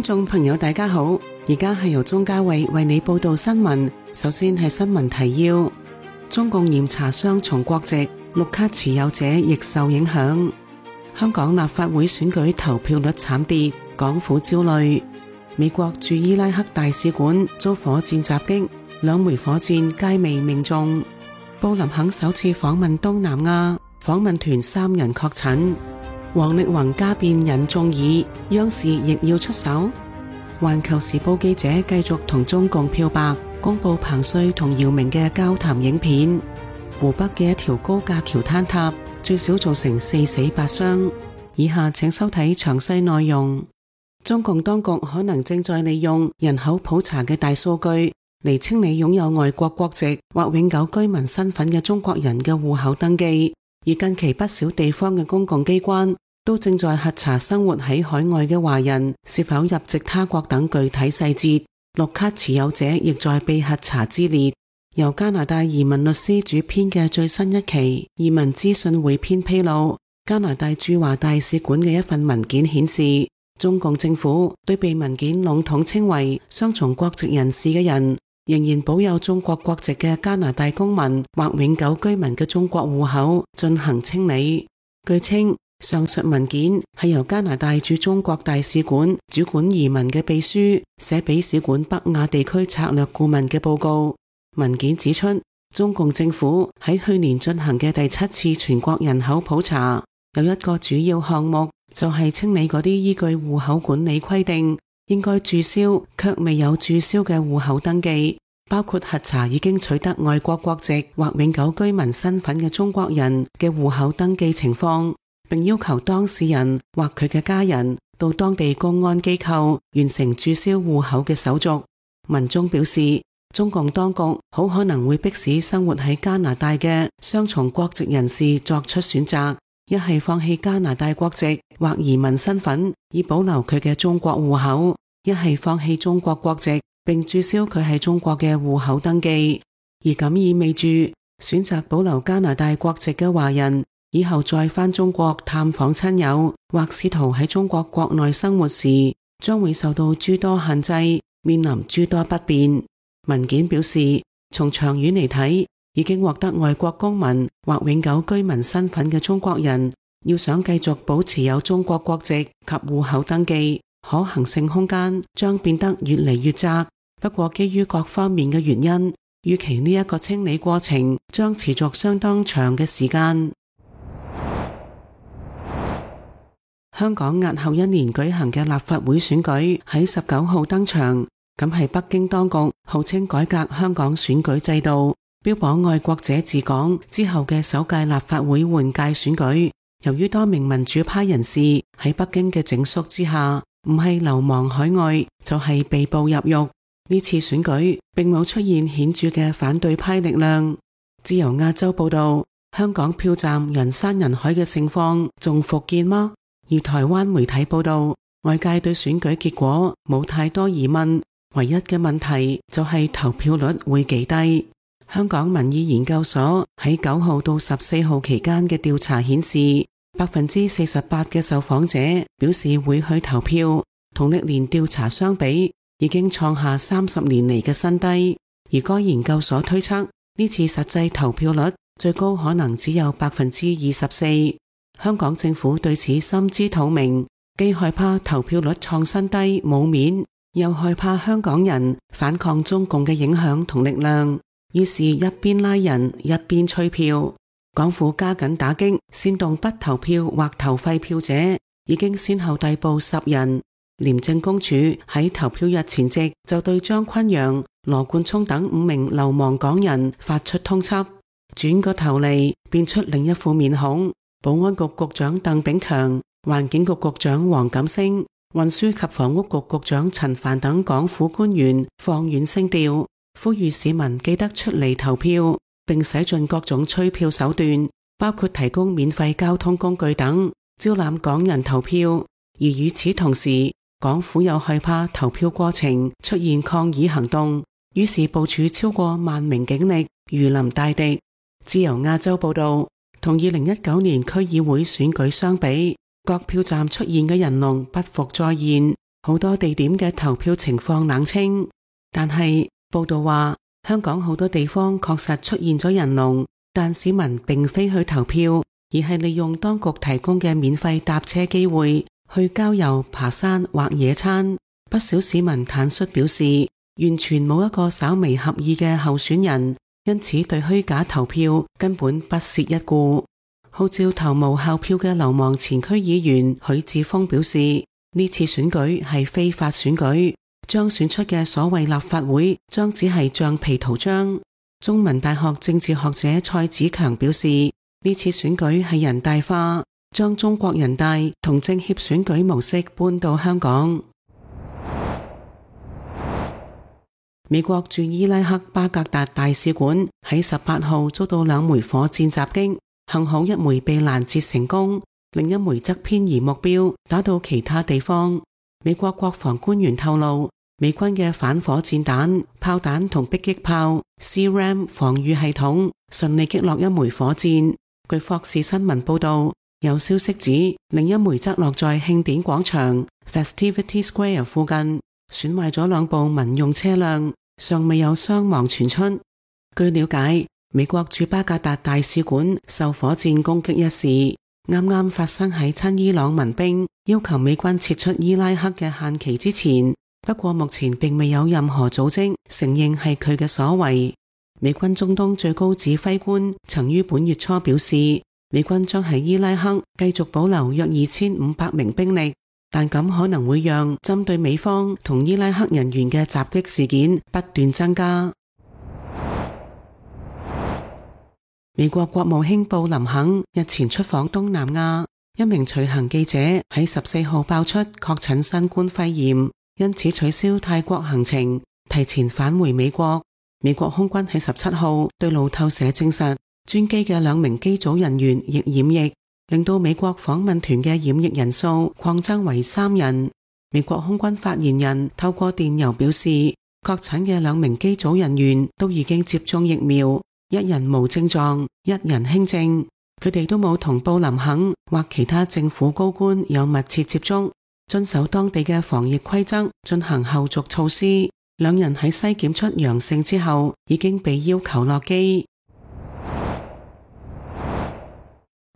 觀眾朋友大家好，而家係由鍾嘉慧為你報道新聞。首先係新聞提要：中共嚴查雙重國籍，綠卡持有者亦受影響。香港立法會選舉投票率慘跌，港府焦慮。美國駐伊拉克大使館遭火箭襲擊，2枚火箭皆未命中。布林肯首次訪問東南亞，訪問團3人確診。王力宏家變引眾議，央視亦要出手。環球時報記者繼續同中共漂白，公布彭帥同姚明嘅交談影片。湖北嘅一條高架橋坍塌，最少造成4死8傷。以下請收睇詳細內容。中共當局可能正在利用人口普查嘅大數據嚟清理擁有外國國籍或永久居民身份嘅中國人嘅戶口登記。而近期不少地方嘅公共機關都正在核查生活喺海外嘅華人是否入籍他國等具體細節，綠卡持有者亦在被核查之列。由加拿大移民律師主編嘅最新一期移民資訊匯編披露，加拿大駐華大使館嘅一份文件顯示，中共政府對被文件籠統稱為雙重國籍人士嘅人，仍然保有中國國籍嘅加拿大公民或永久居民嘅中國戶口進行清理。據稱，上述文件係由加拿大駐中國大使館主管移民嘅秘書寫俾使館北亞地區策略顧問嘅報告。文件指出，中共政府喺去年進行嘅第7次全國人口普查，有一個主要項目就係清理嗰啲依據戶口管理規定應該註銷卻未有註銷嘅戶口登記，包括核查已經取得外國國籍或永久居民身份嘅中國人嘅戶口登記情況，並要求當事人或佢嘅家人到當地公安機構完成註銷戶口嘅手續。文中表示，中共當局好可能會迫使生活喺加拿大嘅雙重國籍人士作出選擇，一係放棄加拿大國籍或移民身份以保留佢嘅中國戶口，一係放棄中國國籍並註銷佢喺中國嘅戶口登記。而咁意味住選擇保留加拿大國籍嘅華人以後再返中國探訪親友或試圖喺中國國內生活時，將會受到諸多限制，面臨諸多不便。文件表示，從長遠嚟睇，已經獲得外國公民或永久居民身份嘅中國人，要想繼續保持有中國國籍及戶口登記，可行性空間將變得越嚟越窄。不過基於各方面嘅原因，預期呢一個清理過程將持續相當長嘅時間。香港押後1年舉行嘅立法會選舉喺19號登場，咁係北京當局號稱改革香港選舉制度，標榜愛國者治港之後嘅首屆立法會換屆選舉。由於多名民主派人士喺北京嘅整肅之下，唔係流亡海外，就係被捕入獄。呢次選舉並冇出現顯著嘅反對派力量。自由亞洲報道，香港票站人山人海嘅情況仲復見嗎？而台灣媒體報道，外界對選舉結果冇太多疑問，唯一嘅問題就係投票率會幾低。香港民意研究所喺9號到14號期間嘅調查顯示，48%嘅受訪者表示會去投票，同歷年調查相比，已經創下30年嚟嘅新低。而該研究所推測，呢次實際投票率最高可能只有24%。香港政府對此心知肚明，既害怕投票率創新低冇面，又害怕香港人反抗中共嘅影響同力量，於是一邊拉人一邊催票。港府加緊打擊煽動不投票或投廢票者，已經先後逮捕10人。廉政公署喺投票日前夕就對張崑陽、羅冠聰等5名流亡港人發出通緝。轉個頭嚟，變出另一副面孔，保安局局長鄧炳強、環境局局長黃錦星、運輸及房屋局局長陳帆等港府官員放軟聲調，呼籲市民記得出嚟投票，並使盡各種催票手段，包括提供免費交通工具等，招攬港人投票。而與此同時，港府又害怕投票過程出現抗議行動，於是部署超過1萬名警力，如臨大敵。自由亞洲報道，同2019年區議會選舉相比，各票站出現嘅人龍不復再現。好多地點嘅投票情況冷清。但係報道話，香港好多地方確實出現咗人龍，但市民並非去投票，而係利用當局提供嘅免費搭車機會去郊遊、爬山或野餐。不少市民坦率表示，完全冇一個稍微合意嘅候選人，因此對虛假投票根本不屑一顧。號召投無效票嘅流亡前區議員許智峰表示，呢次選舉係非法選舉，將選出嘅所謂立法會將只係橡皮圖章。中文大學政治學者蔡子強表示，呢次選舉係人大化，將中國人大同政協選舉模式搬到香港。美國駐伊拉克巴格達大使館喺18號遭到2枚火箭襲擊，幸好一枚被攔截成功，另一枚則偏移目標打到其他地方。美國國防官員透露，美軍嘅反火箭彈、炮彈同迫擊炮 CRAM 防禦系統順利擊落一枚火箭。據霍士新聞報道，有消息指另一枚則落在慶典廣場 Festivity Square 附近，損壞咗2部民用車輛，尚未有傷亡傳出。據了解，美國駐巴格達大使館受火箭攻擊一事，啱啱發生喺親伊朗民兵要求美軍撤出伊拉克嘅限期之前。不過目前並未有任何組織承認係佢嘅所為。美軍中東最高指揮官曾於本月初表示，美軍將喺伊拉克繼續保留約2500名兵力，但咁可能會讓針對美方同伊拉克人員嘅襲擊事件不斷增加。美國國務卿布林肯日前出訪東南亞，一名隨行記者喺14號爆出確診新冠肺炎，因此取消泰國行程，提前返回美國。美國空軍喺17號對路透社證實，專機嘅2名機組人員亦染疫，令到美國訪問團嘅染疫人數擴增為3人。美國空軍發言人透過電郵表示，確診嘅2名機組人員都已經接種疫苗，1人無症狀，1人輕症。佢哋都冇同布林肯或其他政府高官有密切接觸，遵守當地嘅防疫規則，進行後續措施。2人喺篩檢出陽性之後，已經被要求落機。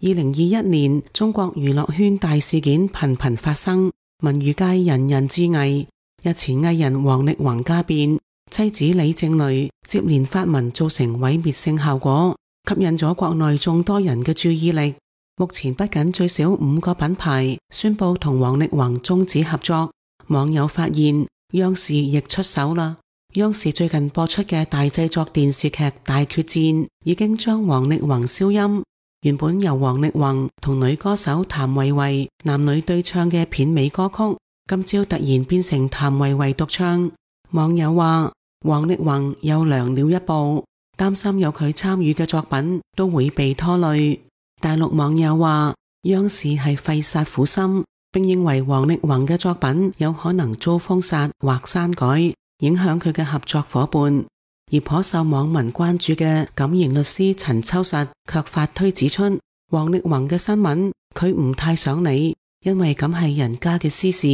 2021年，中國娛樂圈大事件頻頻發生，文娛界人人自危。日前藝人王力宏家變，妻子李靜蕾接連發文造成毀滅性效果，吸引咗國內眾多人嘅注意力。目前不僅最少5個品牌宣布同王力宏終止合作，網友發現央視亦出手啦。央視最近播出嘅大製作電視劇《大決戰》已經將王力宏消音。原本由王力宏同女歌手譚維維男女對唱嘅片尾歌曲，今朝突然變成譚維維獨唱。網友話王力宏又涼了一步，擔心有佢參與嘅作品都會被拖累。大陸網友話央視係費煞苦心，並認為王力宏嘅作品有可能遭封殺或刪改，影響佢嘅合作夥伴。而頗受網民關注嘅敢言律師陳秋實卻發推指出，王力宏嘅新聞佢唔太想理，因為咁係人家嘅私事，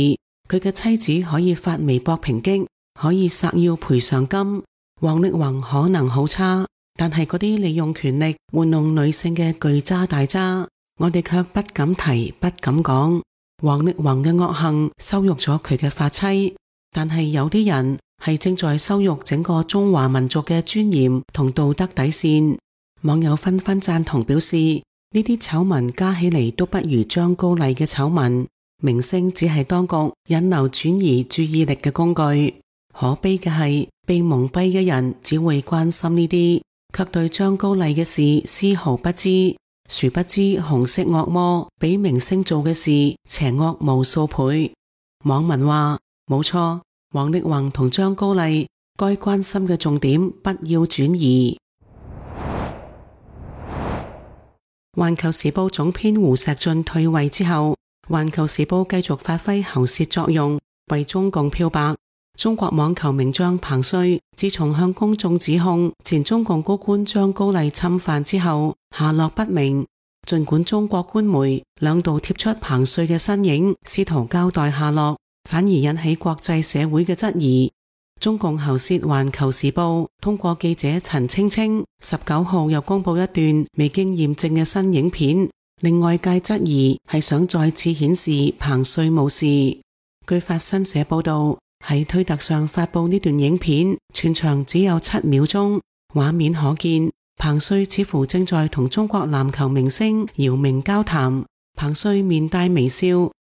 佢嘅妻子可以發微博抨擊，可以索要賠償金。王力宏可能好差，但係嗰啲利用權力玩弄女性嘅巨渣大渣，我哋卻不敢提，不敢講。王力宏嘅惡行羞辱咗佢嘅發妻，但係有啲人係正在羞辱整個中華民族嘅尊嚴同道德底線。網友紛紛贊同表示，呢啲醜聞加起嚟都不如張高麗嘅醜聞，明星只係當局引流轉移注意力嘅工具。可悲嘅係，被蒙蔽嘅人只會關心呢啲，卻對張高麗嘅事絲毫不知。殊不知紅色惡魔比明星做嘅事邪惡無數倍。網民話冇錯，王力宏同張高麗該關心嘅重點不要轉移。環球時報總編胡錫進退位之後，環球時報繼續發揮喉舌作用，為中共漂白。中國網球名將彭帥自從向公眾指控前中共高官張高麗侵犯之後，下落不明。盡管中國官媒2度貼出彭帥嘅身影，試圖交代下落，反而引起國際社會嘅質疑。中共喉舌《環球時報》通過記者陳青青19號又公布一段未經驗證嘅新影片，令外界質疑係想再次顯示彭帥冇事。據法新社報道，喺推特上發布呢段影片，全場只有7秒鐘，畫面可見彭帥似乎正在同中國籃球明星姚明交談，彭帥面帶微笑，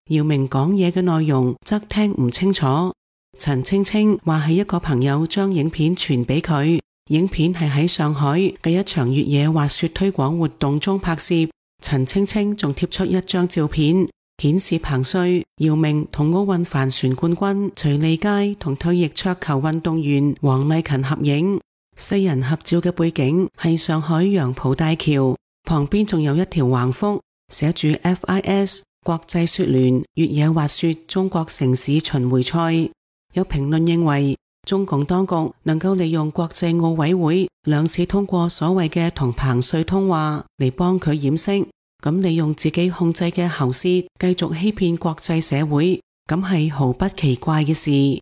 姚明講嘢嘅內容則聽唔清楚。陳青青話係一個朋友將影片傳俾佢，影片係喺上海嘅一場越野滑雪推廣活動中拍攝。陳青青仲貼出一張照片，顯示彭帥、姚明同奧運帆船冠軍徐利佳同退役桌球運動員黃麗芹合影。四人合照嘅背景係上海楊浦大橋，旁邊仲有一條橫幅，寫住 FIS 國際雪聯越野滑雪中國城市巡迴賽。有評論認為，中共當局能夠利用國際奧委會2次通過所謂嘅同彭帥通話嚟幫佢掩飾，咁利用自己控制嘅喉舌繼續欺騙國際社會，咁係毫不奇怪嘅事。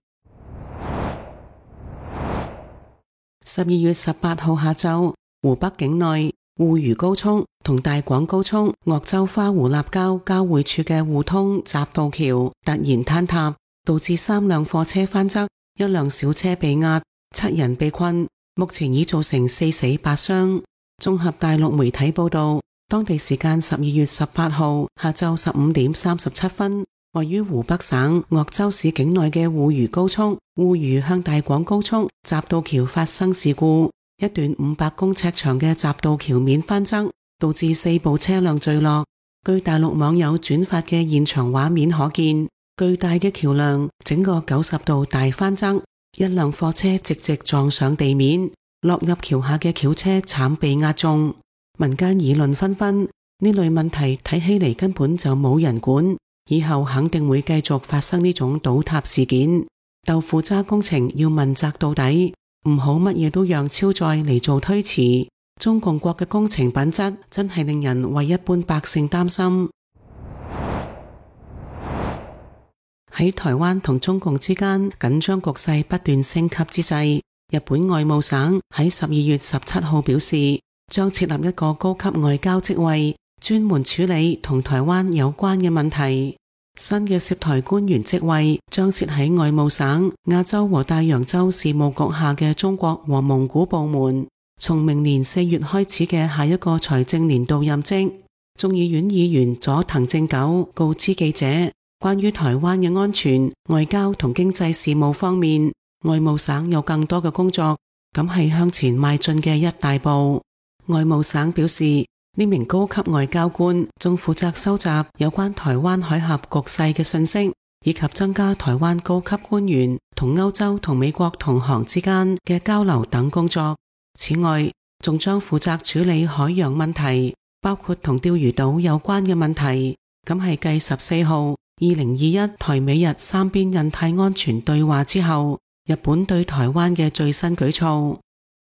12月18號下晝，湖北境內滬渝高速同大廣高速鄂州花湖立交交匯處嘅互通匝道橋突然坍塌，導致3輛貨車翻側，1輛小車被壓，7人被困，目前已造成4死8傷。綜合大陸媒體報道，當地時間12月18號下晝15點37分，位於湖北省鄂州市境內嘅滬渝高速滬渝向大廣高速匝道橋發生事故，一段500公尺長嘅匝道橋面翻側，導致4部車輛墜落。據大陸網友轉發嘅現場畫面可見，巨大嘅橋樑整個90度大翻側，一輛貨車直直撞上地面，落入橋下嘅轎車慘被壓中。民間議論紛紛，呢類問題睇起嚟根本就冇人管，以後肯定會繼續發生呢種倒塌事件。豆腐渣工程要問責到底，唔好乜嘢都讓超載嚟做推辭。中共國嘅工程品質真係令人為一般百姓擔心。喺台灣同中共之間緊張局勢不斷升級之際，日本外務省喺12月17號表示，將設立一個高級外交職位，專門處理同台灣有關嘅問題。新嘅涉台官員職位將設喺外務省亞洲和大洋洲事務局下嘅中國和蒙古部門，從明年4月開始嘅下一個財政年度任職。眾議院議員佐藤正久告知記者，關於台灣嘅安全、外交同經濟事務方面，外務省有更多嘅工作，咁係向前邁進嘅一大步。外務省表示，呢名高級外交官仲負責收集有關台灣海峽局勢嘅信息，以及增加台灣高級官員同歐洲同美國同行之間嘅交流等工作。此外，仲將負責處理海洋問題，包括同釣魚島有關嘅問題。咁係繼14號2021台美日3邊印太安全對話之後，日本對台灣嘅最新舉措。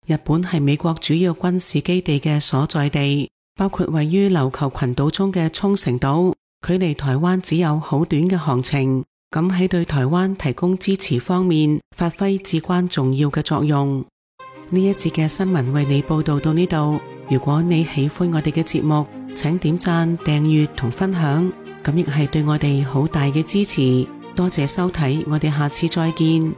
日本係美國主要軍事基地嘅所在地，包括位於琉球群島中嘅沖繩島，距離台灣只有好短嘅航程，咁喺對台灣提供支持方面發揮至關重要嘅作用。呢一節嘅新聞為你報道到呢度，如果你喜歡我哋嘅節目，請點讚、訂閱同分享，咁亦係對我哋好大嘅支持。多謝收睇，我哋下次再見。